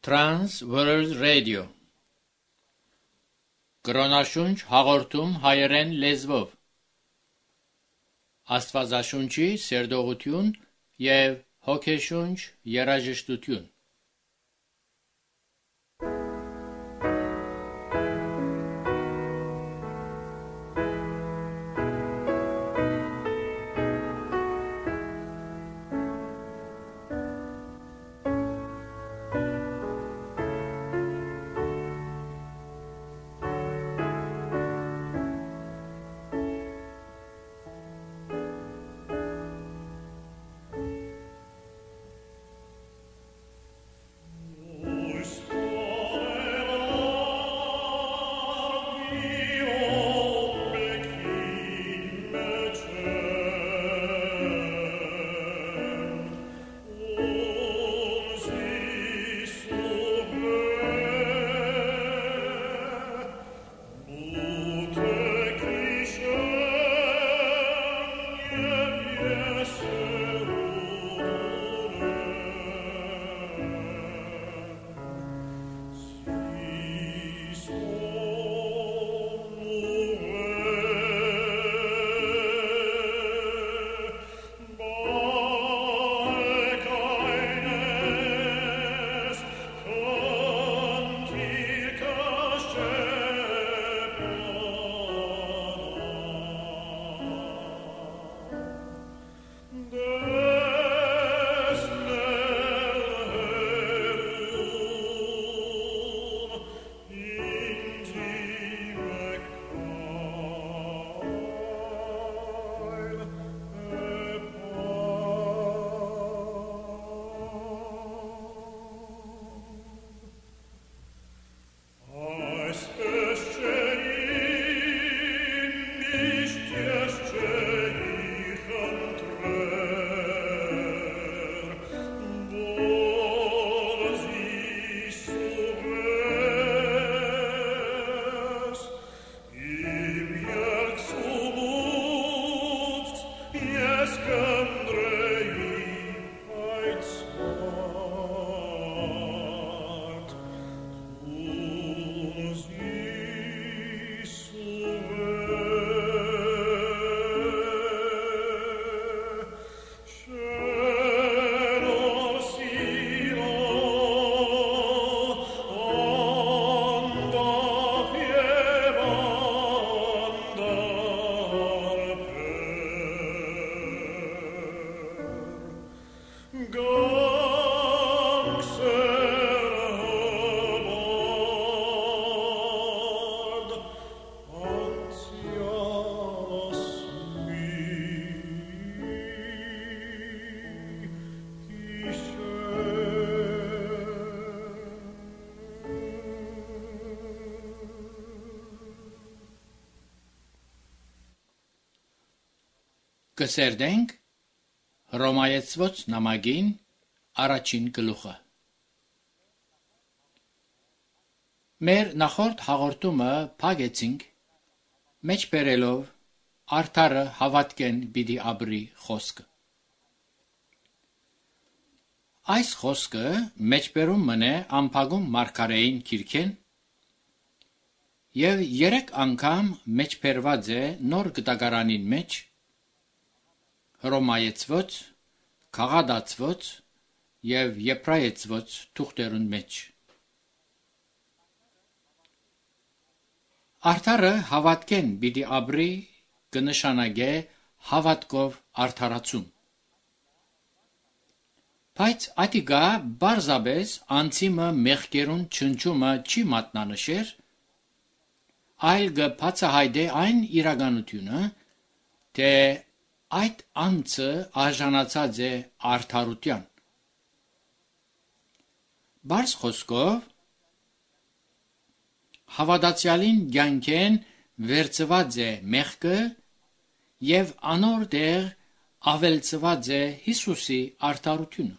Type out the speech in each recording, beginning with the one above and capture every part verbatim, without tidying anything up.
Trans World Radio Կրոնաշունչ հաղորդում հայերեն լեզվով Աստվածաշունչի սերտողություն և հոգեշունչ երաժշտություն Կսերդենք Հռոմայեցված նամակին առաջին գլուխը։ Մեր նախորդ հաղորդումը փակեցինք մեջբերելով արդարը հավատքեն պիտի ապրի խոսքը։ Այս խոսքը մեջբերում մնե ամփագում մարգարեին քիրքեն եւ երեք անգամ մեջբերված է նոր գտակարանին մեջ Հռոմայեցված, Գաղադացված և Եբրայեցված թուղթերուն մեջ։ Արդարը հավատքեն պիտի ապրի կնշանակե հավատքով արդարացում։ Բայց ատիկա բարձաբես անցիմը մեղքերուն չնչումը չի մատնանշեր, այլ կբացահայտե այն իրականությունը, թե այդ անձը արժանացած է արդարության։ Բարձ խոսքով հավատացյալին կյանքեն վերցված է մեղքը և անոր դեղ ավելցված է Հիսուսի արդարությունը։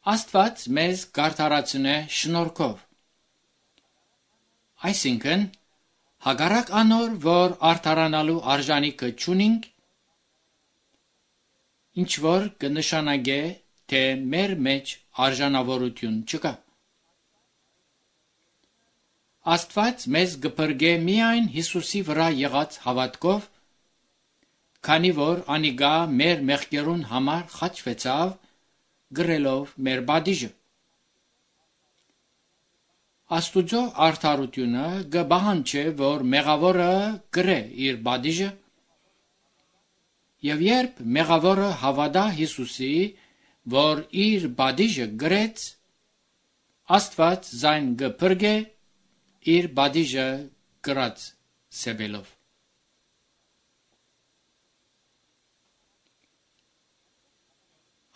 Աստված մեզ կարդարացնե շնորհքով, այսինքն հակառակ անոր, որ արդարանալու արժանիքը չունինք, ինչ որ կնշանակե, թե մեր մեջ արժանավորություն չկա։ Աստված մեզ գպրգե միայն Հիսուսի վրա եղած հավատքով, քանի որ անիգա մեր մեղքերուն համար խաչվեցավ, գրելով մեր բադիժը։ Աստուծո արդարությունը գբահանչե, որ մեղավորը գրե իր բադիժը, եւ երբ մեղավորը հավատա Հիսուսի, որ իր բադիժը գրեց, Աստված զայն գպրգե իր բադիժը գրած սեբելով։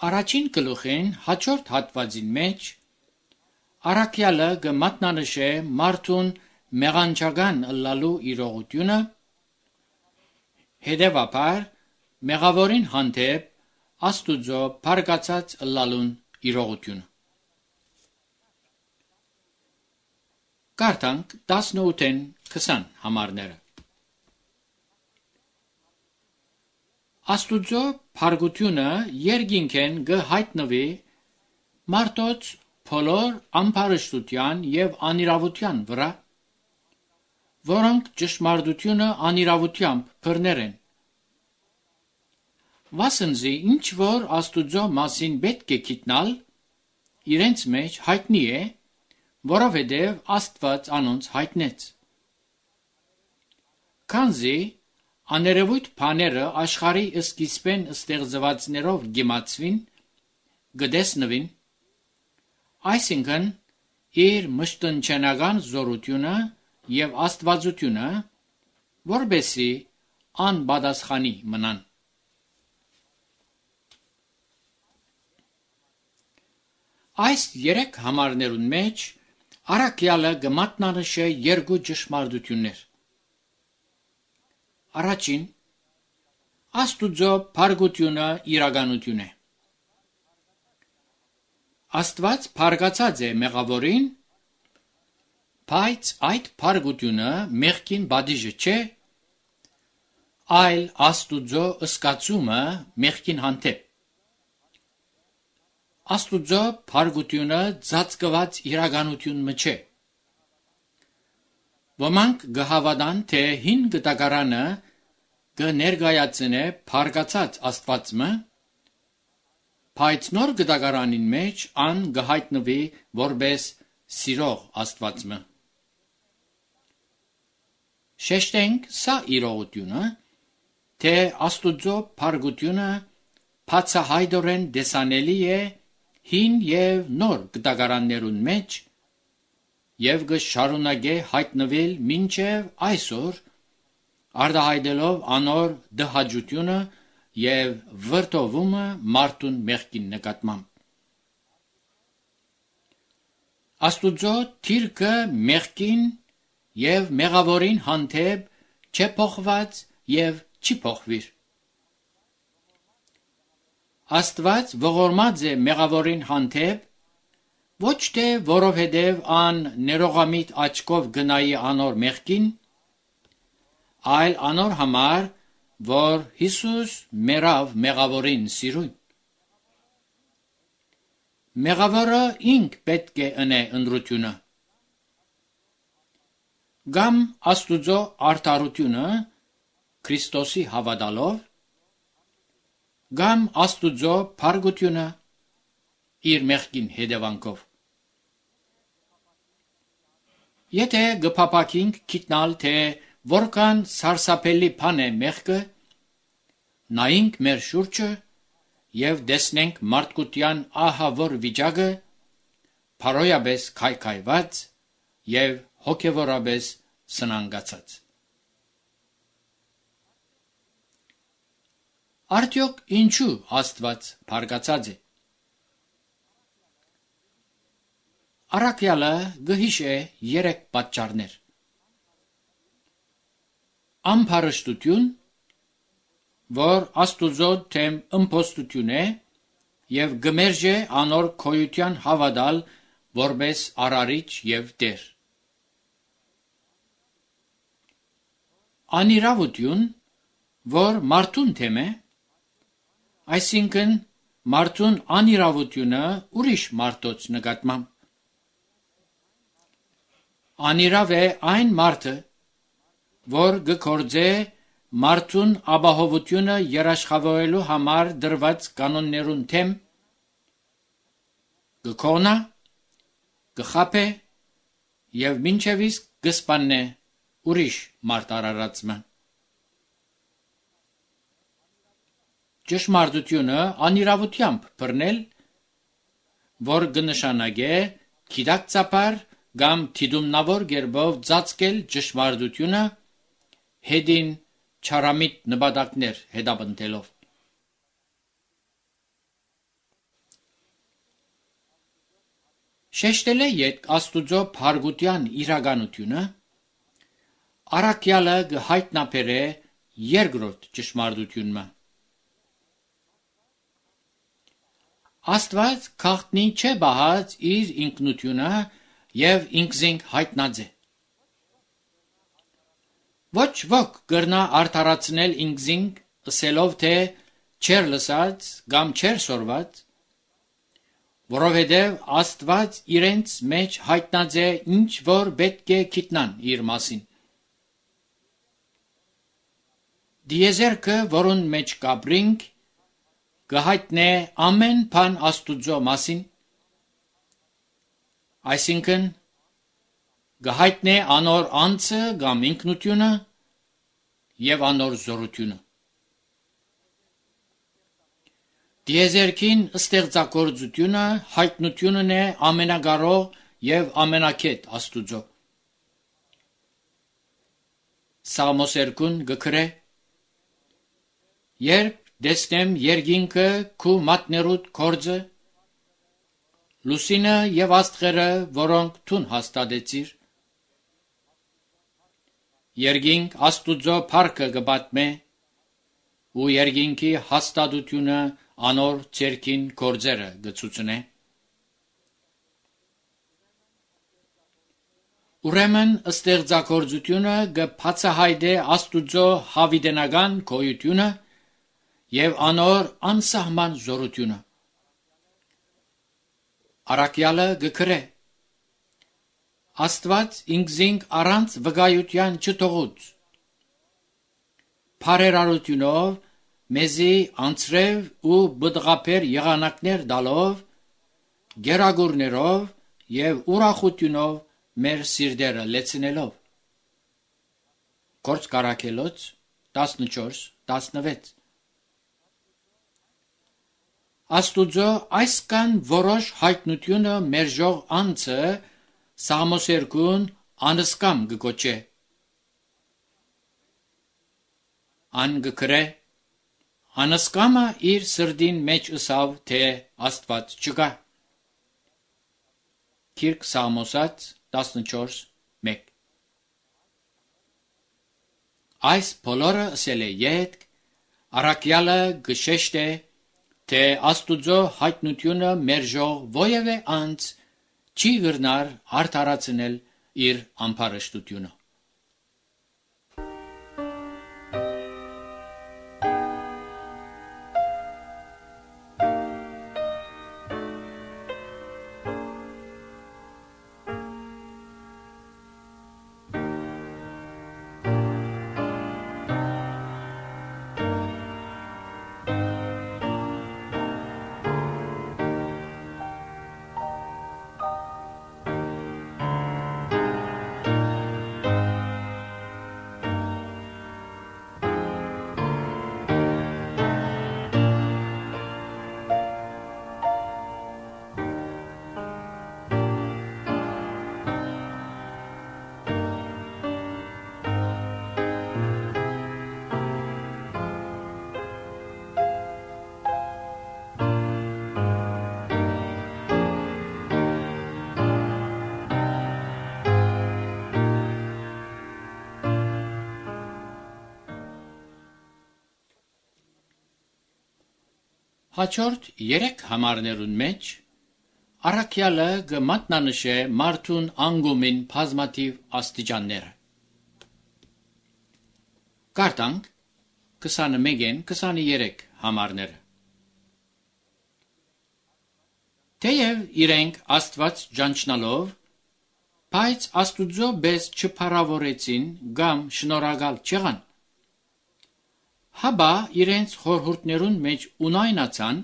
Առաջին գլուխին հաջորդ հատվածին մեջ առաքյալը կմատնանշե մարդուն մեղանչական ըլլալու իրողությունը, հետևաբար մեղավորին հանդեպ Աստուծո փառկացած ըլլալուն իրողությունը։ Կարդանք տասնութին քսան համարները։ Աստուծո փառքությունը երկինքեն կհայտնվի մարդոց բոլոր ամբարշտության եւ անիրավության վրա, որոնք ճշմարտությունը անիրավությամբ բռներ են։ Վասնզի ինչ որ Աստուծո մասին պետք է գիտնալ, իրենց մեջ հայտնի է, որովհետև Աստված անոնց հայտնեց։ Քանզի աներևույթ բաները աշխարհի սկիզբեն ստեղծվածներով գիմացվին, գտեսնվին, այսինքն իր մշտնչենական զորությունը եւ աստվածությունը, որբեսի անպատասխանի մնան։ Այս երեք համարներուն մեջ առաքյալը կմատնանշե երկու ճշմարտություններ։ Առաջին, Աստուծո փառքությունը իրականություն է։ Աստված փառկացած է մեղավորին, բայց այդ փառքությունը մեղքին բադիժը չէ, այլ Աստուծո ըսկացումը մեղքին հանդեպ։ Աստուծո փառքությունը ծածկված իրականություն մը չէ։ Ոմանք գհավատան, թե հին գտակարանը կներկայացնե փառկացած Աստվածը, բայց նոր գտակարանին մեջ ան կհայտնվի որպես սիրող Աստվածը։ Շեշտենք սա իրողությունը, թե Աստուծո փառքությունը բացահայտորեն տեսանելի է հին եւ նոր գտակարաններուն մեջ եւ կշարունակե հայտնվել մինչեւ այսօր, արտահայտելով անոր դհաճությունը եւ վրդովումը մարդուն մեղքին նկատմամբ։ Աստուծո թիրքը մեղքին եւ մեղավորին հանդեպ չէ փոխված եւ չի փոխվիր։ Աստված ողորմած է մեղավորին հանդեպ, ոչ թե որովհետև ան ներողամիտ աչքով գնայի անոր մեղքին, այլ անոր համար, որ Հիսուս մերավ մեղավորին սիրուն։ Մեղավորը ինք պետք է ընե ընտրությունը։ Կամ Աստուծո արդարությունը Քրիստոսի հավատալով, կամ Աստուծո փառքությունը իր մեղքին հետևանքով։ Եթե գփապակինք գիտնալ, թե որքան սարսափելի բան է մեղքը, նայենք մեր շուրջը եւ տեսնենք մարդկության ահավոր վիճակը, փարոյաբես քայքայված եւ հոգեվորաբես սնանկացած։ Արդյոք ինչու Աստված փառկացած է։ Առաքյալը գհիշե երեք պատճառներ։ Ամբարշտություն, որ Աստուծո թեմ ըմբոստություն է եւ գմերժե անոր քոյության հավատալ որպես արարիչ եւ տեր։ Անիրավություն, որ մարդուն թեմ է, այսինքն մարդուն անիրավությունը ուրիշ մարդոց նկատմամբ։ Անիրավ է այն մարդը, որ գկործե մարդուն ապահովությունը երաշխավորելու համար դրված կանոններուն թեմ, գկոնա, գխապե եւ մինչեւ իսկ գսպաննե ուրիշ մարդ արարածը։ Ճշմարտությունը անիրավությամբ բռնել, որ կնշանակե գիտակցաբար կամ թիդումնավոր գերբով ծածկել ճշմարտությունը հետին չարամիտ նպատակներ հետապնդելով։ Շեշտել է յետ Աստուծո փարգության իրականությունը, առաքյալը կհայտնաբերե երկրորդ ճշմարտությունը։ Աստված քաղտնի չէ բահած իր ինքնությունը եւ ինքզինք հայտնած է։ Ոչ ոք կրնա արդարացնել ինքզինք ըսելով թե չեր լսած կամ չեր սորված, որովհետև Աստված իրենց մեջ հայտնած է ինչ որ պետք է գիտնան իր մասին։ Դիեզերքը, որուն մեջ կապրինք, կհայտնե ամեն բան Աստուծո մասին, այսինքն կհայտնե անոր անձը կամ ինքնությունը եւ անոր զորությունը։ Դիեզերքին ստեղծագործությունը հայտնությունն է ամենակարող եւ ամենակետ Աստուծո։ Սաղմոսերկուն գկրե. Երբ դեսնեմ երկինքը քու մատներուդ կորձը, լուսինը եւ աստղերը, որոնք թուն հաստատեցիր, երկինք Աստուծո փառքը կպատմե, ու երկինքի հաստատությունը անոր ցերքին կորձերը գցուցնե։ Ուրեմն ստեղծագործությունը կբացահայտե Աստուծո հավիտենական գոյությունը եւ անոր անսահման զորությունը։ Առաքյալը գկրե. Աստված ինքզինք առանց վկայության չթողուց, բարերարությունով մեզի անցրև ու բդղապեր եղանակներ տալով, գերագուրներով եւ ուրախությունով մեր սիրտերը լեցնելով։ Գործ Կարաքելոց տասնչորս տասնվեց։ Աստուծո այսքան որոշ հայտնությունը մերժող անձը Սաղմոսերկուն անսկամ կգոչե։ Ան գկրե. անսկամը իր սրդին մեջ ըսավ, թե Աստված չկա։ Քիրք Սաղմոսած տասնչորս մեկ։ Այս բոլորը ասել է յետք, առաքյալը գշեշտ է, թե Աստուծո հայտնությունը մերժող ովևէ անձ չի գրնար արդարացնել իր ամբարշտությունը։ Հաջորդ երեք համարներուն մեջ առաքյալը կմատնանշե մարդուն անգումին բազմաթիվ աստիճանները։ Կարդանք քսանմեկին քսաներեք համարները։ Թեև իրենք Աստված ճանչնալով, բայց Աստուծո բես չփառավորեցին կամ շնորհակալ չեղան, հաբա իրենց խորհուրդներուն մեջ ունայնացան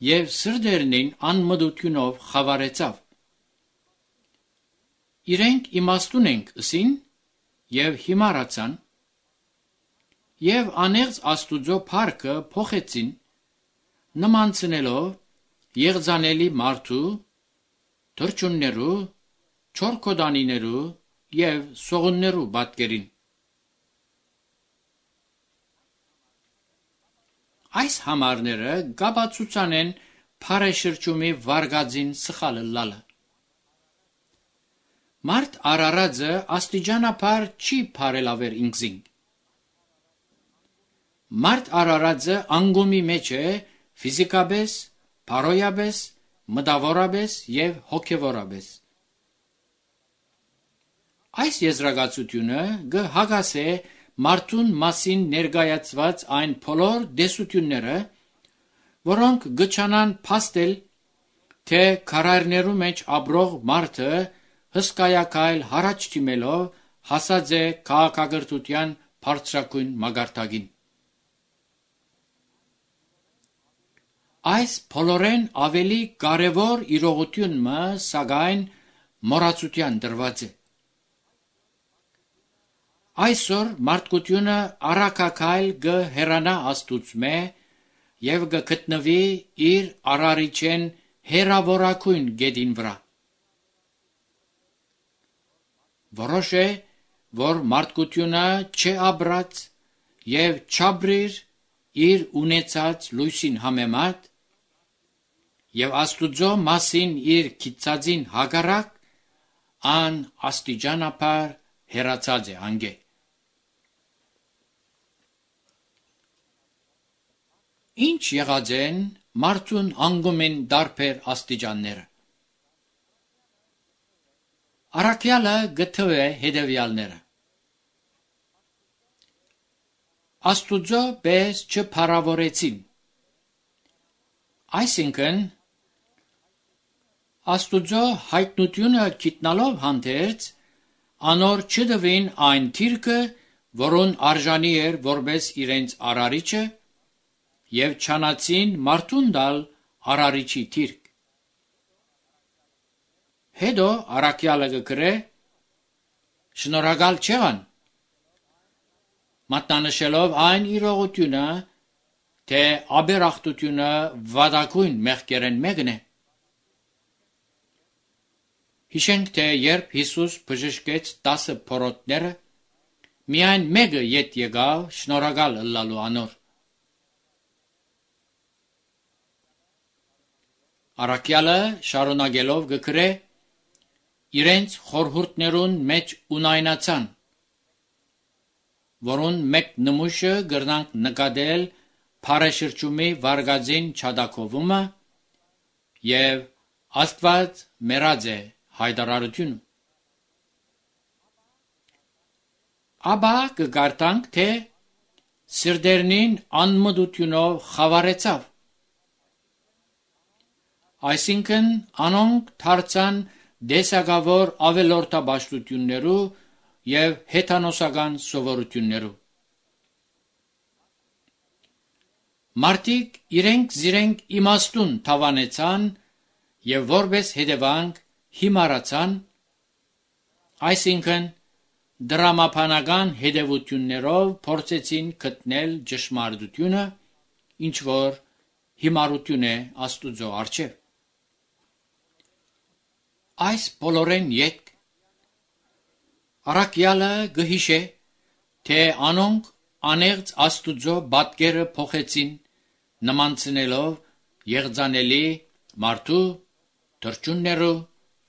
եւ սրդերնին անմտությունով խավարեցավ։ Իրենք իմաստուն ենք ըսին եւ հիմարացան եւ անեղծ Աստուծո փառքը փոխեցին, նմանցնելով եղձանելի մարդու, թրջուններու, չորքոդանիներու եւ սողուններու պատկերին։ Այս համարները գաբացուցան են փարեշրջումի վարգածին սխալը լալը։ Մարդ արարածը աստիճանաբար չի փարելավեր ինքզին։ Մարդ արարածը անգումի մեջ է ֆիզիկաբես, փարոյաբես, մտավորաբես եւ հոգեվորաբես։ Այս եզրակացությունը գհագասե մարդուն մասին ներկայացված այն բոլոր դեսությունները, որոնք գճանան փաստել, թե քարայրներու մեջ ապրող մարդը հսկայակայլ հարաճ դիմելով հասած է քաղաքակրթության բարձրակույն մագարտակին։ Այս բոլորեն ավելի կարևոր իրողությունը սակայն մոռացության դրված է։ Այսօր մարդկությունը առաքակայլ գհեռանա Աստուծմե եւ գգտնվի իր արարիչեն հերավորակույն գետին վրա։ Որոշ է, որ մարդկությունը չապրած եւ չաբրիր իր ունեցած լույսին համեմատ եւ Աստուծո մասին իր քիծածին հակառակ ան աստիճանաբար հեռացած է անգե։ Ինչ եղած են մարդուն անգումեն դարբեր աստիճանները։ Առաքյալը գտվե հետևյալները։ Աստուծո բես չփառավորեցին։ Այսինքն Աստուծո հայտնությունը գիտնալով հանդերձ անոր չդվին այն թիրքը, որոն արժանի էր որպես իրենց արարիչը, եւ չանացին մարդուն դալ արարիչի թիրք։ Հետո առաքյալը գկրե շնորհակալ չեղան, մատնանշելով այն իրողությունը, թե աբերախտությունը վադակույն մեղքերեն մեկն է։ Հիշենք, թե երբ Հիսուս բժշկեց տասը փորոտները, միայն մեկը ետ եկավ շնորհակալ ըլլալու անոր։ Առաքյալը շարունակելով գկրե իրենց խորհուրդներուն մեջ ունայնացան, որոն մեկ նմուշը գրնանք նկատել փարեշրջումի վարգածին չադակովումը եւ Աստված մերած է հայտարարությունը։ Աբա կգարտանք, թե սրդերնին անմտությունով խավարեցավ։ Այսինքն անոնք դարձան դեսագավոր ավելորդաբաշխություններու եւ հեթանոսական սովորություններու։ Մարդիկ իրենք զիրենք իմաստուն թավանեցան եւ որպես հետևանք հիմարացան, այսինքն դրամապանական հետևություններով փորձեցին գտնել ճշմարտությունը, ինչ որ հիմարություն է Աստուծո առջև։ Այս բոլորեն յետք առաքյալը գհիշե, թե անոնք անեղծ Աստուծո պատկերը փոխեցին, նմանցնելով եղձանելի մարդու, թրջուններու,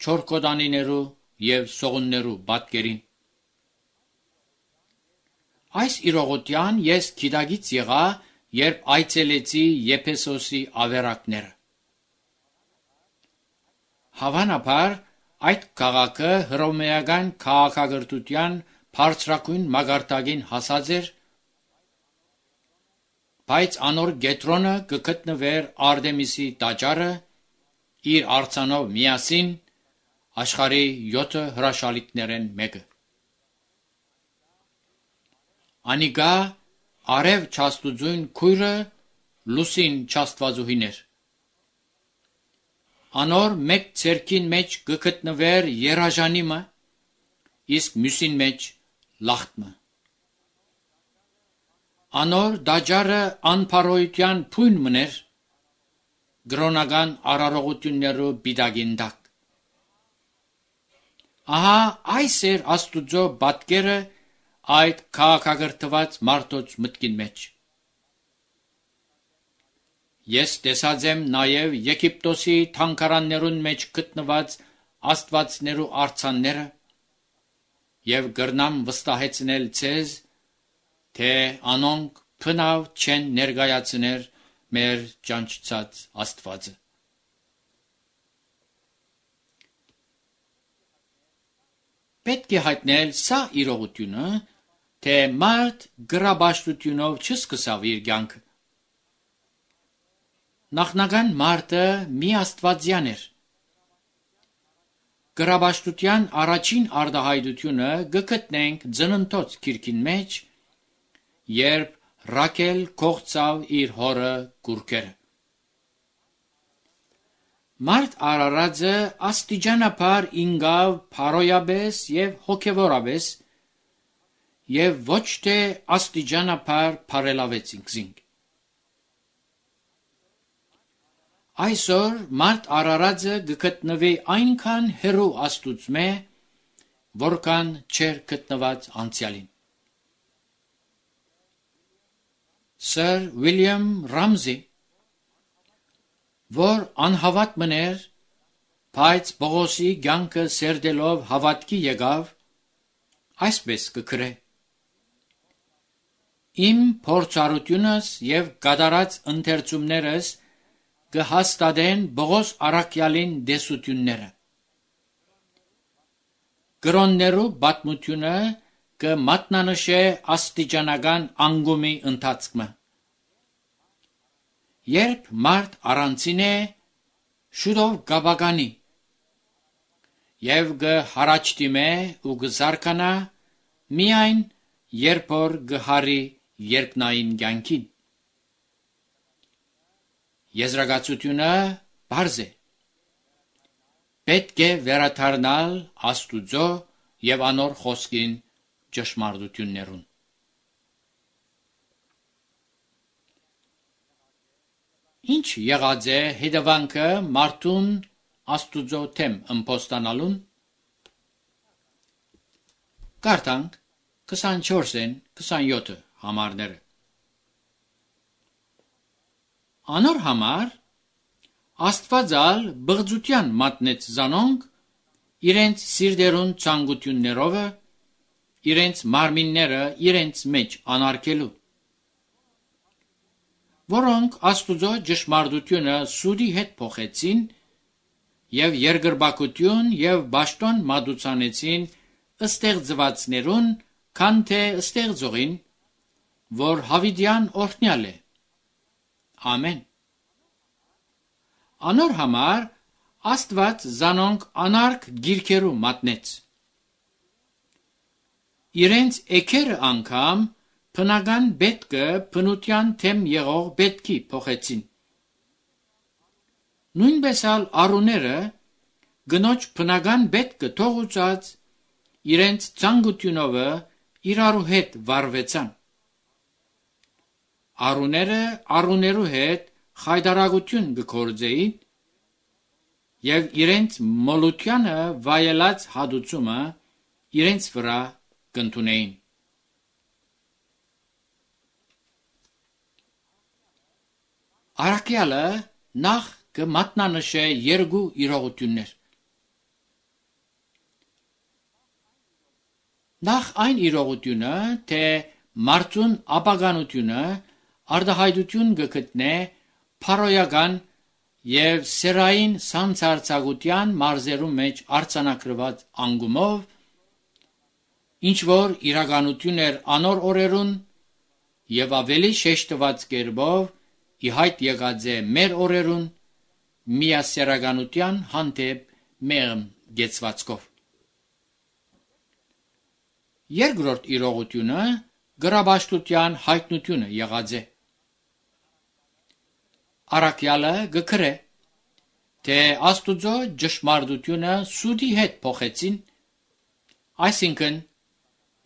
չորքոդանիներու եւ սողուններու պատկերին։ Այս իրողության ես գիտակից եղա, երբ այցելեցի Եփեսոսի ավերակները։ Հավանաբար այդ քաղաքը հռոմեական քաղաքակրթության բարձրակույն մագարտակին հասած էր, բայց անոր գետրոնը կգտնվեր Արտեմիսի տաճարը իր արձանով միասին աշխարհի յոթ հրաշալիքներեն մեկը։ Անիգա արև չաստուծույն քույրը լուսին չաստվածուհիներ։ Անոր մեկ ցերքին մեջ կգտնվեր երաժանիմը, իսկ մյուսին մեջ լախտմը։ Անոր դաջարը անփարոյության փույն մներ, գրոնական արարողություններու բիդագին դակ։ Ահա այս էր Աստուծո պատկերը այդ քաղաքագրթված մարդոց մտքին մեջ։ Ես տեսած եմ նաև Եգիպտոսի թանկարաններուն մեջ գտնված աստվածներու արձանները եւ գրնամ վստահեցնել ցեզ, թե անոնք փնավ չեն ներկայացներ մեր ճանչած Աստվածը։ Պետք է հայտնել սա իրողությունը, թե մարդ գրաբաշխությունով չսկսավ իր կյանքը։ Նախնական մարդը մի աստվածյան էր։ Գրաբաշխության առաջին արտահայտությունը գտնենք Ծննդոց գիրքին մեջ, երբ Ռաքել կողծավ իր հորը կուրքերը։ Մարդ արարածը աստիճանաբար ինգավ փարոյաբես եւ հոգեվորաբես եւ ոչ թե աստիճանաբար փարելավեց ինքզինք։ Այսօր մարդ արարածը գտնվի այնքան հեռու Աստուծմե, որքան չեր գտնված անցյալին։ Սր Ուիլյամ Ռամզի, որ անհավատ մներ, բայց Պողոսի կյանքը սերդելով հավատքի եկավ, այսպես կգրե. Իմ փորձառությունս եւ կատարած ընթերցումներս կհաստատեն Պողոս առաքյալին դեսությունները։ Գրոններու պատմությունը կմատնանշե աստիճանական անգումի ընթացքը։ Երբ մարդ առանցին է, շուտով կաբականի եւ կհարաճտիմե ու կզարկանա միայն երբ որ կհարի երկնային կյանքին։ Եզրակացությունը բարձ է։ Պետք է վերադառնալ Աստուծո եւ անոր խոսքին ճշմարտություններուն։ Ինչ եղած է հետևանքը մարդուն Աստուծո թեմ ըմբոստանալուն։ Կարդանք քսանչորսին քսանյոթ համարները։ Անոր համար Աստվածալ բղծության մատնեց զանոնք իրենց սիրտերուն ցանկություններով, իրենց մարմինները իրենց մեջ անարգելու, որոնք Աստուծո ճշմարտությունը սուդի հետ փոխեցին եւ երկրպագություն եւ ճաշտոն մատուցանեցին ստեղծվածներուն, քան թե ստեղծողին, որ հավիտյան օրհնյալ է։ Ամեն։ Անոր համար Աստված զանոնք անարգ գիրքերու մատնեց։ Իրենց էքերը անգամ բնական պետքը բնության թեմ եղող պետքի փոխեցին։ Նույնպես ալ արուները գնոջ բնական պետքը թողուցած իրենց ցանկությունով իրարու հետ վարվեցան։ Արուները արուներու հետ խայդարագություն կգործեին եւ իրենց մոլությանը վայելած հադուցումը իրենց վրա կընդունեին։ Առաքյալը նախ կմատնանշե երկու իրողություններ։ Նախ այն իրողությունը, թե մարդուն ապագանությունը արտահայտություն կգտնե փարոյական եւ սերային սանցարցակության մարզերու մեջ արձանագրված անգումով, ինչ որ իրականություն էր անոր օրերուն եւ ավելի շեշտված կերպով ի հայտ եկած է մեր օրերուն միասեռականության հանդեպ մեղմ գեցվածքով։ Երկրորդ իրողությունը գրաբաշխության հայտնությունը եղած է։ Առաքյալը գկրե, թե Աստուծո ճշմարտությունը սուդի հետ փոխեցին, այսինքն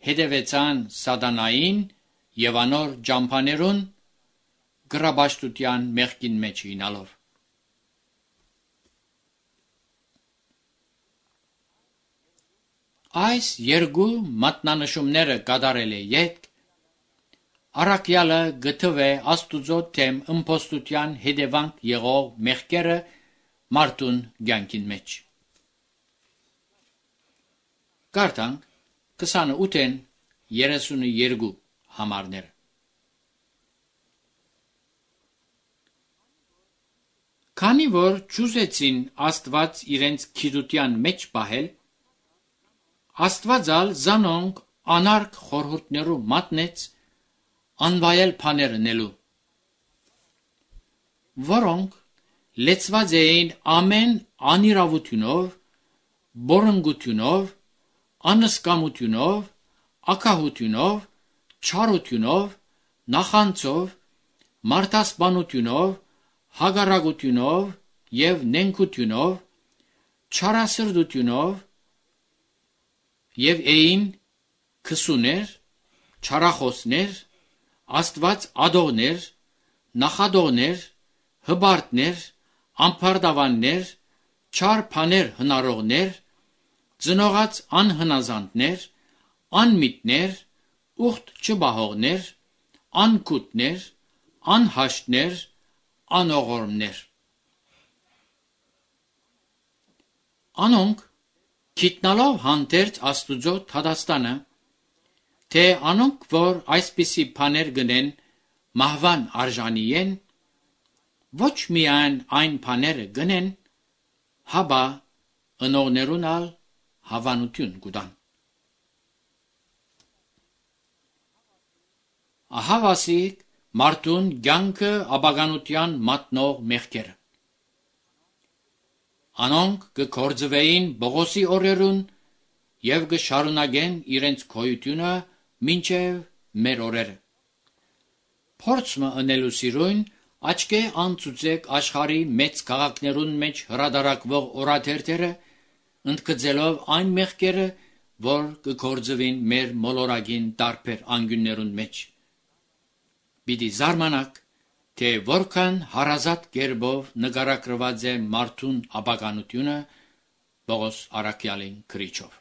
հետևեցան սատանային եւ անոր ճամփաներուն գրաբաշխության մեղքին մեջ ինալով։ Այս երկու մատնանշումները կատարել է յետք, առաքյալը գտվե Աստուծո թեմ ըմբոստության հետևանք եղող մեղքերը մարդուն կյանքին մեջ։ Կարդանք քսանութ երեսունուերկու համարները։ Քանի որ ճուզեցին Աստված իրենց գիտության մեջ պահել, Աստվածալ զանոնք անարգ խորհուրդներու մատնեց անվայել բաներ նելու, որոնք լեցված էին ամեն անիրավությունով, բորնգությունով, անսկամությունով, ակահությունով, չարությունով, նախանցով, մարդասպանությունով, հագարագությունով և նենգությունով, չարասրդությունով և էին քսուներ, չարախոսներ, Աստված ադողներ, նախադողներ, հբարտներ, ամբարտավաններ, չար բաներ հնարողներ, ծնողած անհնազանդներ, անմիտներ, ուխտ չբահողներ, անկութներ, անհաշտներ, անողորմներ։ Անոնք գիտնալով հանդերձ Աստուծո թադաստանը, թե անոնք, որ այսպիսի բաներ գնեն, մահվան արժանի են, ոչ միայն այն բաները գնեն, հաբա ընողներուն ալ հավանություն կուտան։ Ահավասիկ մարդուն կյանքը ապագանության մատնող մեղքերը։ Անոնք կգործվեին Բողոսի օրերուն և կշարունակեն իրենց քոյությունը մինչև մեր օրերը։ Փորձը ընելու սիրուն աչքե անցուցեք աշխարհի մեծ քաղաքներուն մեջ հրադարակվող օրաթերթերը, ընդգծելով այն մեղքերը, որ կգործվին մեր մոլորակին տարբեր անկյուններուն մեջ։ Պիտի զարմանաք, թե որքան հարազատ կերպով նկարագրված է մարդուն ապականությունը Պողոս առաքյալին գրիչով։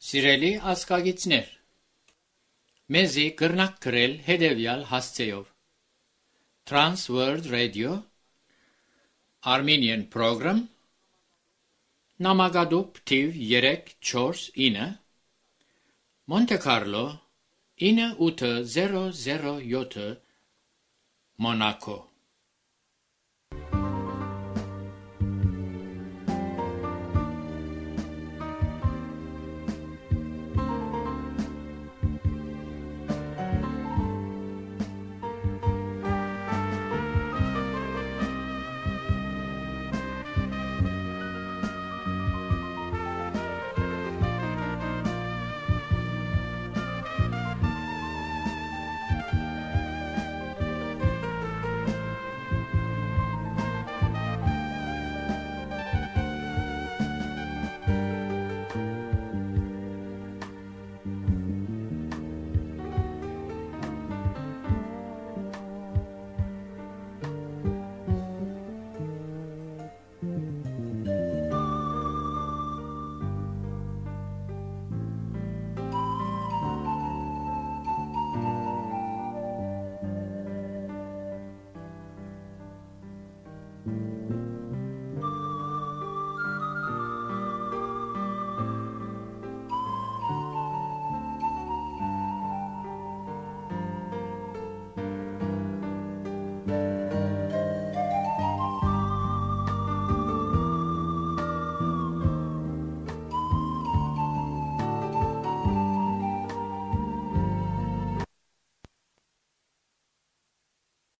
Սիրելի ազգագիցներ, մեզի կրնակ գրել հետևյալ հասցեով. Trans World Radio, Armenian Program, Նամակադուպ թիվ երեք չորս ինը, Monte Carlo ինը ութ զերո զերո յոթ, Monaco։